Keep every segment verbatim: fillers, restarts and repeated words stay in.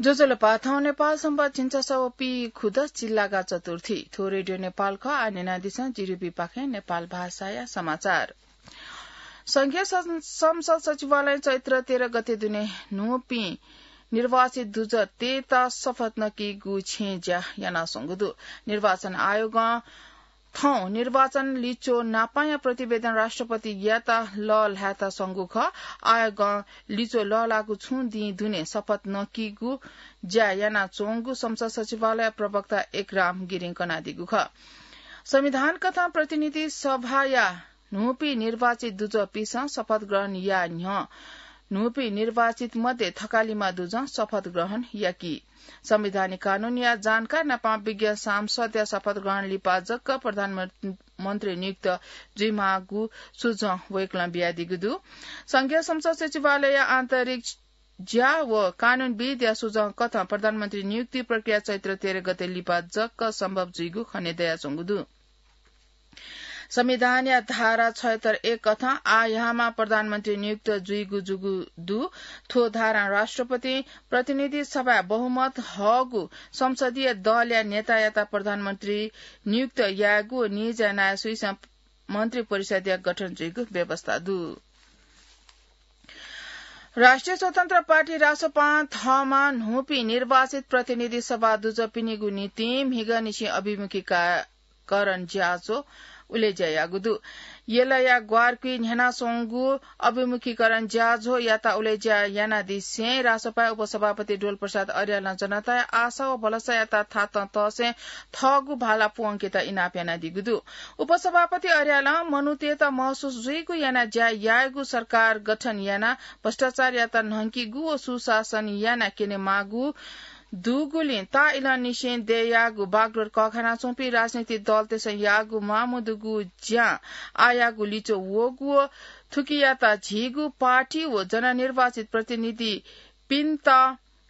ज्वजलपा, थौं नेपाल संवत् झिंछसः व पीखुदँ चिल्लागा चतुर्थी। थ्व रेडियो नेपाल खः। आः न्यनादिसँ जिरिबीपाखें नेपाल भाषाया समाचार। संघीय सं-, संसद सचिवालयं चैत्र तेह्र गते दुने न्हूपिं निर्वाचित दुजः तयेत शपथ नकीगु छेँज्या यानाच्वंगु दु। निर्वाचन आयोगं थौं निर्वाचन लिच्वः नापांया प्रतिवेदन राष्ट्रपतियात लःल्हायेत स्वंगु खः। आयोगं लिच्वः लःल्हाःगु छुं दिं दुने शपथ नकीगु ज्या यानाच्वंगु संसद सचिवालय प्रवक्ता एकराम गिरिं कनादीगु खः। संविधान कथं प्रतिनिधि सभाया न्हूपिं निर्वाचित दुजःपिसं शपथ ग्रहण याये न्ह्यः न्हूपिं निर्वाचित मध्ये थकालिमा दुजं शपथ ग्रहण याकी। संवैधानिक कानूनया जानकार नापं विज्ञ सांसदया शपथ ग्रहण लिपा जक प्रधानमन्त्री नियुक्त जुइमाःगु सुझाव वय्कलं बियादीगु दु। संघीय संसद सचिवालयया आन्तरिक ज्या व कानूनविदया सुझाव कथं प्रधानमन्त्री नियुक्ति प्रक्रिया चैत्र तेह्र गते लिपा जक सम्भव जुइगु खने दयाच्वंगु दु। संविधानया धारा छयत्तर एक कथं आःयामा प्रधानमन्त्री नियुक्त जुइगु जूगु दु। थ्व धारां राष्ट्रपतिं प्रतिनिधि सभाय् बहुमत हःगु संसदीय दलया नेतायात प्रधानमन्त्री नियुक्त यायेगु व निज्या नायःसुइसं मन्त्री परिषदया गठन जुइगु व्यवस्था दु। राष्ट्रिय स्वतन्त्र पार्टी रासोपां थःम्हं न्हूपिं निर्वाचित प्रतिनिधि सभा दुजःपिनिगु निंतिं म्हिगःनिसें अभिमुखीकरण ज्याझ्वः उलेज्या याःगु दु। यलया ग्वारकुइ न्ह्यानाच्वंगु अभिमुखीकरण ज्याझ्वःयात उलेज्या यानादिसें रासोपाया उपसभापति डोलप्रसाद अर्यालं जनताया आशा व भलसायात थातं तःसें थःगु भाला प्वंकेत इनाप यानादीगु दु। उपसभापति अर्यालं मनूतय्त महसुस जुइगु यानाः ज्या यायेगु, सरकार गठन यानाः भ्रष्टाचारयात न्हंकीगु व सुशासन यानाः क्यनेमाःगु दुगुलिं ताःइलंनिसें दयेयाःगु बागडोर कःघानाच्वंपिं राजनीतिक दलतय्सं याःगु म्वाःमदुगु ज्यां आःयागु लिच्वः वःगु व थुकियात झीगु पार्टी व जननिर्वाचित प्रतिनिधिपिन्त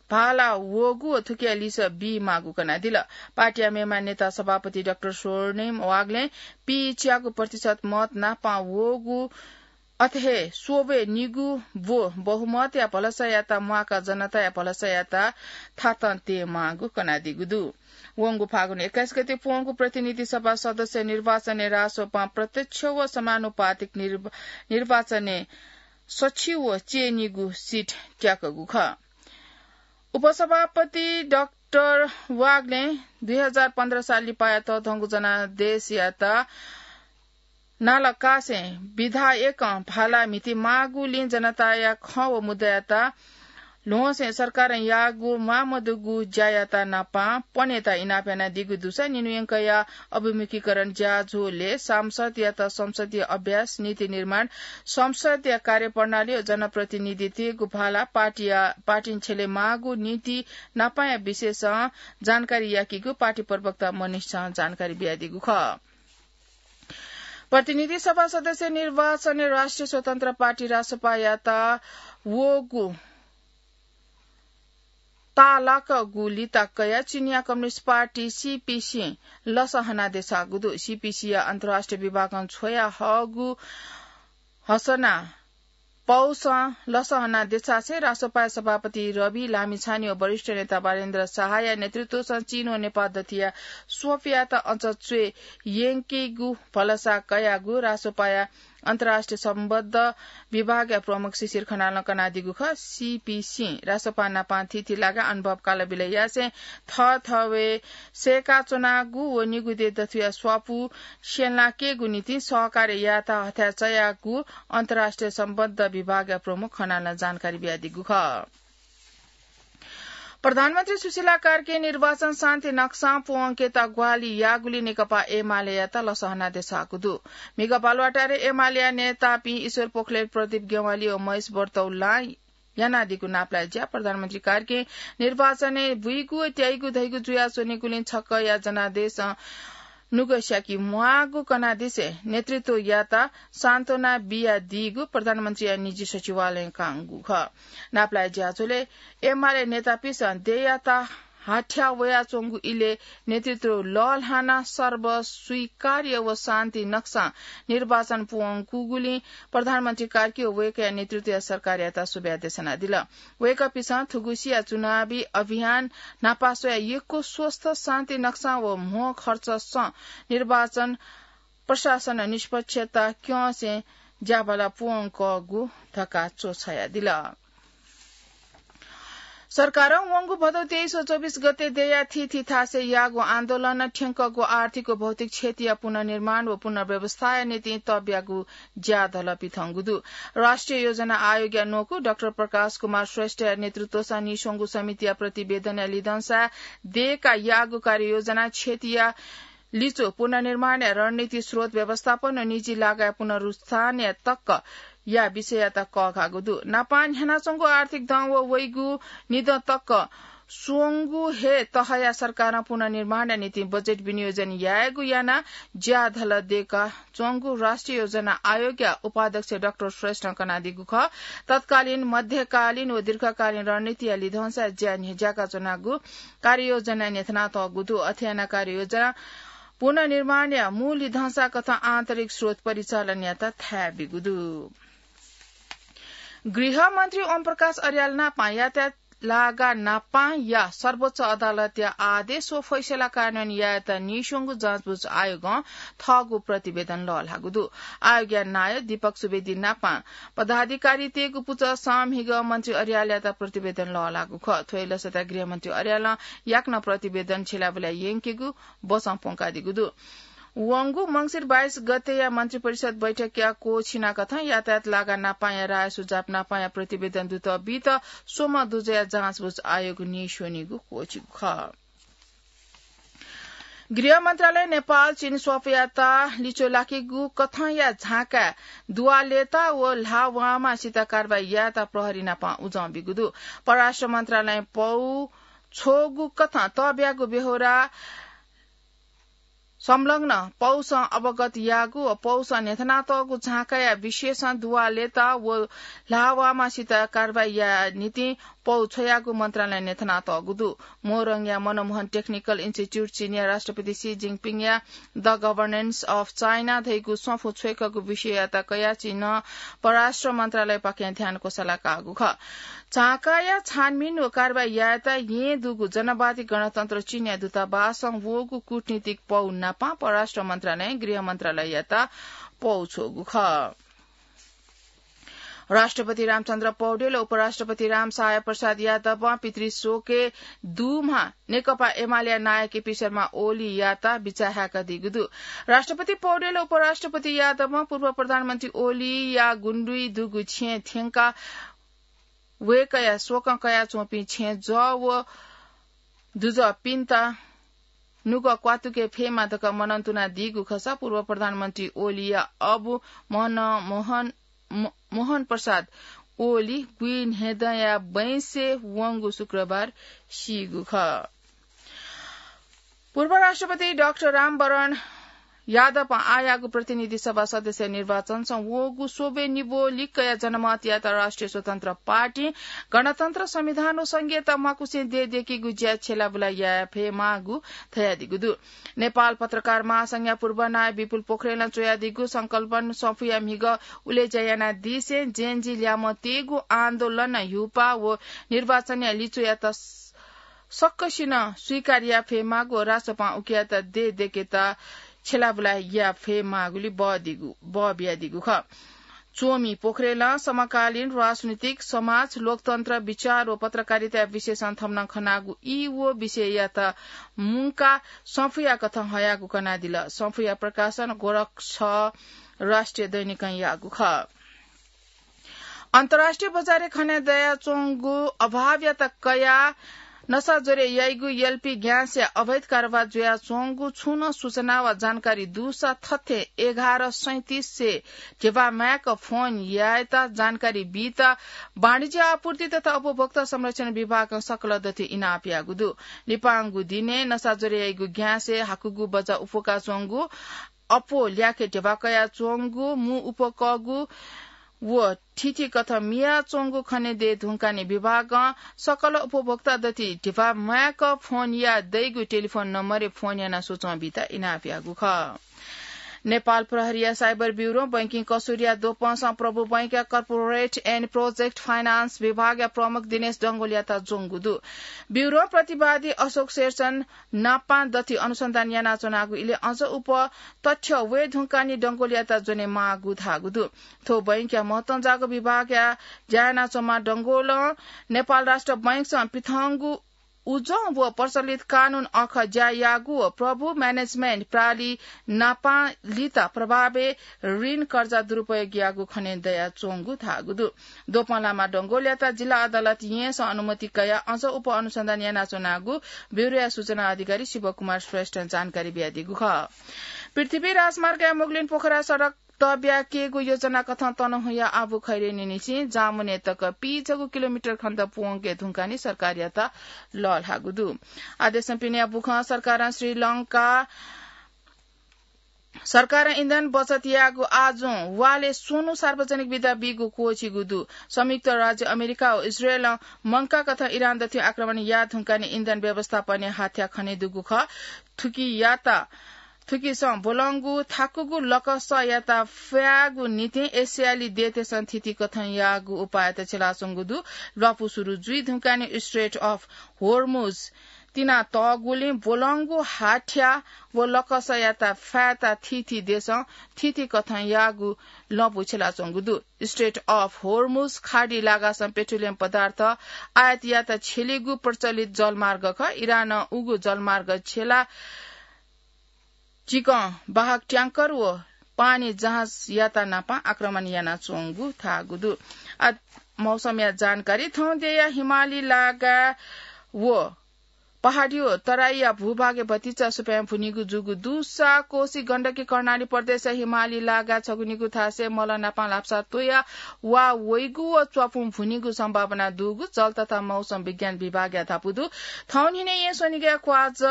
भाला वःगु व थुकिया लिसः बीमाःगु कनादिल। पार्टीया मेम्ह नेता सभापति डाक्टर स्वर्णिम वाग्लें पीच्यागू प्रतिशत मत नापं वःगु, अथे हे स्वब्वय् निगू ब्व बहुमतया भलसायात म्वाकाः जनताया भलसायात थातं तयेमाःगु कनादीगु दु। वंगु फागुन एक्काइस गते प्वंगु प्रतिनिधि सभा सदस्य निर्वाचनय् रासोपां प्रत्यक्ष व समानुपातिक निर्व-, निर्वाचनय् सछि व च्यय्निगू सिट त्याकूगु खः। उपसभापति डाक्टर वाग्लें दुई हजार पन्ध्र साल लिपाया तःधंगु जनादेशयात नालाकासें विधायकं भाला म्हितेमाःगुलिं जनताया खँ व मुद्दायात ल्ह्वंसें सरकारं याःगु म्वाःमदुगु ज्यायात नापं प्वनेत इनाप यानादीगु दुसा निन्हु यंकया अभिमुखीकरण ज्याझ्वलय् सांसदयात संसदीय अभ्यास, नीति निर्माण, संसदीय कार्यप्रणाली व जनप्रतिनिधित्वय्गु भाला, पार्टीया, पार्टीं छ्यलेमाःगु नीति नापंया विषयसं जानकारी याकीगु पार्टी प्रवक्ता मनिषं जानकारी बियादीगु खः। प्रतिनिधि सभा सदस्य निर्वाचनय् राष्ट्रिय स्वतन्त्र पार्टी रासोपायात वःगु ताःलाकःगु लिता कयाः चिनियाँ कम्युनिस्ट पार्टी सीपीसीं लसहना देछाःगु दु। सीपीसीया अन्तर्राष्ट्रिय विभागं छ्वया हःगु हसना पौसं लसहना देछासें रासोपाया सभापति रवि लामिछाने व वरिष्ठ नेता बालेन्द्र शाहया नेतृत्वसं चीन व नेपाल दथिया स्वफयात अझ च्वय् यंकेगु भलसा कयागु रासोपाया अन्तर्राष्ट्रिय सम्बन्ध विभागया प्रमुख शिशिर खनालं कनादीगु खः। सीपीसीं रासोपा नापं थीथी लागा अनुभव कालबिल यासें थःथवय् सय्काच्वनागु व निगू देय् दथुया स्वापू स्यंलाकेगु निंतिं सहकार्य यायेत हथाय् चायागु अन्तर्राष्ट्रिय सम्बन्ध विभागया प्रमुख खनालं जानकारी बियादीगु खः। प्रधानमन्त्री सुशीला कार्कीं निर्वाचन शान्ति नक्सां प्वंकेत ग्वाहालि याःगुलिं नेकपा एमालेयात लसहना देछाःगु दु। म्हिगः बालुवाटारय् एमालेया नेतापिं ईश्वर पोखरेल, प्रदीप ज्ञवाली व महेश बर्तौलां यानादीगु नापलाये ज्या प्रधानमन्त्री कार्कीं निर्वाचनय् बुइगु व त्याइगु धइगु जुयाच्वनीगुलिं छकःया जनादेशं नुगः स्याके म्वाःगु कनादिसें नेतृत्वयात सान्त्वना बियादीगु प्रधानमन्त्रीया निजी सचिवालयं कांगु खः। नापलाये ज्याझ्वलय् एमाले नेतापिन्सं देय्यात हाथ्या वयाच्वंगु इलय् नेतृत्व लःल्हानाः सर्वस्वीकार्य व शान्ति नक्सां निर्वाचन पूवंकूगुलिं प्रधानमन्त्री कार्की व वय्कःया नेतृत्वया सरकारयात सुभाय् देछानादिल। वय्कःपिन्सं थुगुसिया चुनावी अभियान न्हापा स्वयाः यक्व स्वस्थ शान्ति नक्सां व म्हो खर्चसं निर्वाचन प्रशासन निष्पक्षता क्यंसें ज्याबाला पूवंकःगु धकाः च्वछायादिल। सरकारं वंगु भदौ तेइस व चौबिस गते दयाः थीथी थासय् याःगु आन्दोलनं थ्यंकःगु आर्थिक व भौतिक क्षतिया पुनर्निर्माण व पुनर्व्यवस्थाया निंतिं तब्यागु ज्याधल पिथंगु दु। राष्ट्रिय योजना आयोगया न्वकू डाक्टर प्रकाश कुमार श्रेष्ठया नेतृत्वसं नीस्वंगु समितिया प्रतिवेदनया लिधंसा दय्काः याःगु कार्ययोजना क्षतिया लिच्वः पुनर्निर्माणया रणनीति, स्रोत व्यवस्थापन व निजी लगायत पुनरुत्थानया तकया विषययात कःघाःगु दु। नापां न्ह्यानाच्वंगु आर्थिक दँ व वइगु निदँ तक स्वंगु हे तहया सरकारं पुनर्निर्माणया निंतिं बजेट विनियोजन यायेगु यानाः ज्याधल दय्काच्वंगु राष्ट्रिय योजना आयोगया उपाध्यक्ष डाक्टर श्रेष्ठं कनादीगु खः। तत्कालीन, मध्यकालीन व दीर्घकालीन रणनीतिया लिधंसा ज्या न्ह्यज्याका च्वनागु कार्ययोजना न्ह्यथनातःगु दु। अथे यानाः कार्ययोजना पुनर्निर्माणया मू लिधंसा कथं आन्तरिक स्रोत परिचालनयात थाय् बीगु दु। गृहमन्त्री ओम प्रकाश अर्याल नापां यातायात लागा नापांया सर्वोच्च अदालतया आदेश व फैसला कार्यान्वयन यायेत नीस्वंगु जाँचबुझ आयोगं थःगु प्रतिवेदन लःल्हाःगु दु। आयोगया नायः दीपक सुवेदी नापां पदाधिकारीतय्गु पुचःसं म्हिगः मन्त्री अर्यालयात प्रतिवेदन लःल्हाःगु खः। थ्व हे लसताय् गृहमन्त्री अर्यालं याकनं प्रतिवेदन छ्यलाबुलाय् यंकेगु बसं प्वंकादीगु दु। वंगु मंसिर बाइस गतेया मन्त्रिपरिषद बैठकया क्वःछिना कथं यातायात लागा नापांया राय सुझाव नापांया प्रतिवेदन दुत बीत स्वम्ह दुजःया जाँचबुझ आयोग नीस्वनीगु क्वःछिगु खः। गृह मन्त्रालय नेपाल चीन स्वाफूयात लिच्वः लाकीगु कथंया झाँकाय् दुवालेता व ल्हाः वांमा सित कारवाही यायेत प्रहरी नाप उजं बीगु दु। परराष्ट्र मन्त्रालयं पौ छ्वःगु कथं तःब्यागु बेहोरा संलग्न पौसं अवगत याःगु व पौसं न्ह्यथनातःगु झाँकाया विशेषं दुवालेता व ल्हाः वांमा सित कारवाही याये निंतिं पौ छ्वयागु मन्त्रालयं न्ह्यथनातःगु दु। मोरङया मनमोहन टेक्निकल इन्स्टिच्युट चीनया राष्ट्रपति सी जिनपिङया The Governance of China धइगु स्वाफू छ्वय्कःगु विषययात कयाः चीनं परराष्ट्र मन्त्रालयपाखें ध्यान क्वसालाकाःगु खः। झाँकाया छानबिन व कारवाही यायेत येँ दुगु जनवादी गणतन्त्र चीनया दूतावासं वःगु कूटनीतिक पौ नाप परराष्ट्र मन्त्रालयं गृह मन्त्रालययात पौ छ्वःगु खः। राष्ट्रपति रामचन्द्र पौडेल व उपराष्ट्रपति रामसहाय प्रसाद यादवं पितृशोकय् दुम्ह नेकपा एमालेया नायः केपी शर्मा ओलीयात बिचाः हाय्कादीगु दु। राष्ट्रपति पौडेल व उपराष्ट्रपति यादवं पूर्व प्रधानमन्त्री ओलीया गुण्डुइ दुगु छेँ थ्यंकाः वय्कःया शोकं कयाच्वंपिं छेँजः व दुजःपिन्त नुगः क्वातुके फयेमा धकाः मनंतुनादीगु खःसा पूर्व प्रधानमन्त्री ओलीया अबु मोहन, मोहन, मो-, मोहन प्रसाद ओली गुइन्हेदँया बैंसय् वंगु शुक्रबार सीगु खः। पूर्व राष्ट्रपति डाक्टर रामवरण यादवं आःयाःगु प्रतिनिधि सभा सदस्य निर्वाचनसं वःगु स्वब्वय् निब्व लिक्कया जनमतयात राष्ट्रिय स्वतन्त्र पार्टी, गणतन्त्र, संविधान व संघीयता म्वाकुसें देय् दय्केगु ज्या छ्यलाबुला याये फयेमाःगु धयादीगु दु। नेपाल पत्रकार महासंघया पूर्व नायः विपुल पोखरेलं च्वयादीगु संकल्पन स्वाफूया म्हिगः उलेज्या यानादिसें जेनजी ल्याय्म्ह तयेगु आन्दोलनं ह्युपा व निर्वाचनया लिच्वयात सकसिनं स्वीकार याये फयेमाःगु व राजसभां उकियात देय् दय्केत छ्यलाबुला याये फयेमाःगुलिं बः दीगु, बः बियादीगु खः। च्वमि पोखरेलं समकालीन राजनीतिक, समाज, लोकतन्त्र, विचार व पत्रकारिताया विषयसं थम्हं खनागु ई व विषययात मुंकाः स्वाफूया कथं हयागु कनादिल। स्वाफूया प्रकाशन गोरखा राष्ट्रिय दैनिकं याःगु खः। अन्तर्राष्ट्रिय बजारय् खने दयाच्वंगु अभावयात कयाः नसा ज्वरय् याइगु एलपी ग्यासया अवैध कारोबार जुयाच्वंगु छुं नं सूचना वा जानकारी दुसा थथे एघार सैंतिसय् ध्यबा माय्क फोन यायेत जानकारी बीत वाणिज्य आपूर्ति तथा उपभोक्ता संरक्षण विभागं सकल दथुइ इनाप याःगु दु। लिपांगु दिनय् नसा ज्वरय् याइगु ग्यासय् हाकुगु बचा उफुकाच्वंगु अप्वः ल्याखे ध्यबा कयाच्वंगु मू उपकःगु व थिथि कथं मियाच्वंगु खने दये धुंकाने विभागं सकल उपभोक्ता दथि धिबा म्वाय्क फोन या दइगु टेलिफोन नम्बरय् फोन यानाः सूचं बीत इनाप याःगु खः। नेपाल प्रहरीया साइबर ब्युरों बैंकिङ कसुरया द्वपंसं प्रभु बैंकया corporate and project finance विभागया प्रमुख दिनेश डंगोलयात ज्वंगु दु। ब्युरों प्रतिवादी अशोक शेरचन नापां दथि अनुसन्धान यानाच्वनागु इलय् अझ उप तथ्य वये धुंकानि डंगोलयात ज्वने माःगु धाःगु दु। थ्व बैंकया महत्वंजाःगु विभागया ज्या यानाच्वंम्ह डंगोलं नेपाल राष्ट्र बैंकसं पिथंगु उजं व प्रचलित कानून अःखः ज्या याःगु व प्रभु म्यानेजमेन्ट प्रालि नापांलित प्रभावय् ऋण कर्जा दुरुपयोग याःगु खने दयाच्वंगु धाःगु दु। द्वपंलाःम्ह डंगोलयात जिल्ला अदालतं येँसं अनुमति कयाः अझ उप अनुसन्धान यानाच्वनागु ब्युरोया सूचना अधिकारी शिवकुमार श्रेष्ठं जानकारी बियादीगु खः। पृथ्वी राजमार्गया मुगलिन पोखरा सडक तब्याकेगु योजना कथं तनहुँया आबु खैरेनीनिसें जामुने तक पीचगु किलोमिटर खण्ड प्वंके धुंकानि सरकारयात लःल्हाःगु दु। आदेशं पिने बुखं सरकारं श्रीलंका सरकारं इन्धन बचत याःगु आजुं वालय् स्वन्हु सार्वजनिक बिदा बीगु क्वःछिगु दु। संयुक्त राज्य अमेरिका व इजरायलं मंकाकथं इरान दथुइ आक्रमण याः धुंकानि इन्धन व्यवस्थापनय् हाथ्या खने दुगु खः। थुकियात थुकिसं ब्वलंगु थाकुगु लकसयात फ्यायेगु निंतिं एसियाली देय्तय्सं थीथी कथं याःगु उपायत छ्यलाच्वंगु दु। ल्वापु सुरु जुइ धुंकानि Strait of Hormuz तिना तःगुलिं ब्वलंगु हाथ्या व लकसयात फ्यायेत थीथी देशं थीथी कथं याःगु लँपु छ्यलाच्वंगु दु। Strait of Hormuz खाडी लागासं पेट्रोलियम पदार्थ आयात यात छ्यलीगु प्रचलित जलमार्ग खः। इरानं उगु जलमार्ग छ्यला चिकं वाहक ट्यांकर व पानी जहाजयात नापं आक्रमण यानाच्वंगु धाःगु दु। आ, मौसमया जानकारी। थौं देय्या हिमाली लागा व पहाडी व तराईया भूभागय् भतिचा सुपाँय् भुनिगु जूगु दुसा कोशी गण्डकी कर्णाली प्रदेशया हिमाली लागा छगुनिगु थासय् मल नापं ल्हापसा त्वया वा वइगु व च्वापुं भुनिगु सम्भावना दुगु जल तथा मौसम विज्ञान विभागया धापू दु। थौं न्हिनय् येँ स्वनिगलय् क्वाःज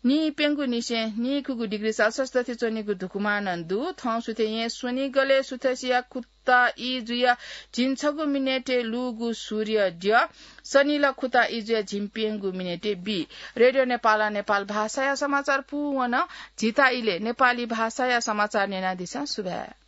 नीप्यंगू निसें नीखुगू डिग्री सेल्सियस दथुइ च्वनीगु धुकुमानं दु। थौं सुथय् येँ स्वनिगलय् सुथसिया खुता ई जुया झिंछगू मिनेटय् लूगु सूर्य द्यः। सनिल खुता ई जुया झिंप्यंगू मिनेटय् बी। रेडियो नेपालं नेपाल भाषाया समाचार पूवन। झीत इलय् नेपाली भाषाया समाचार न्यनादिसँ। सुभाय्।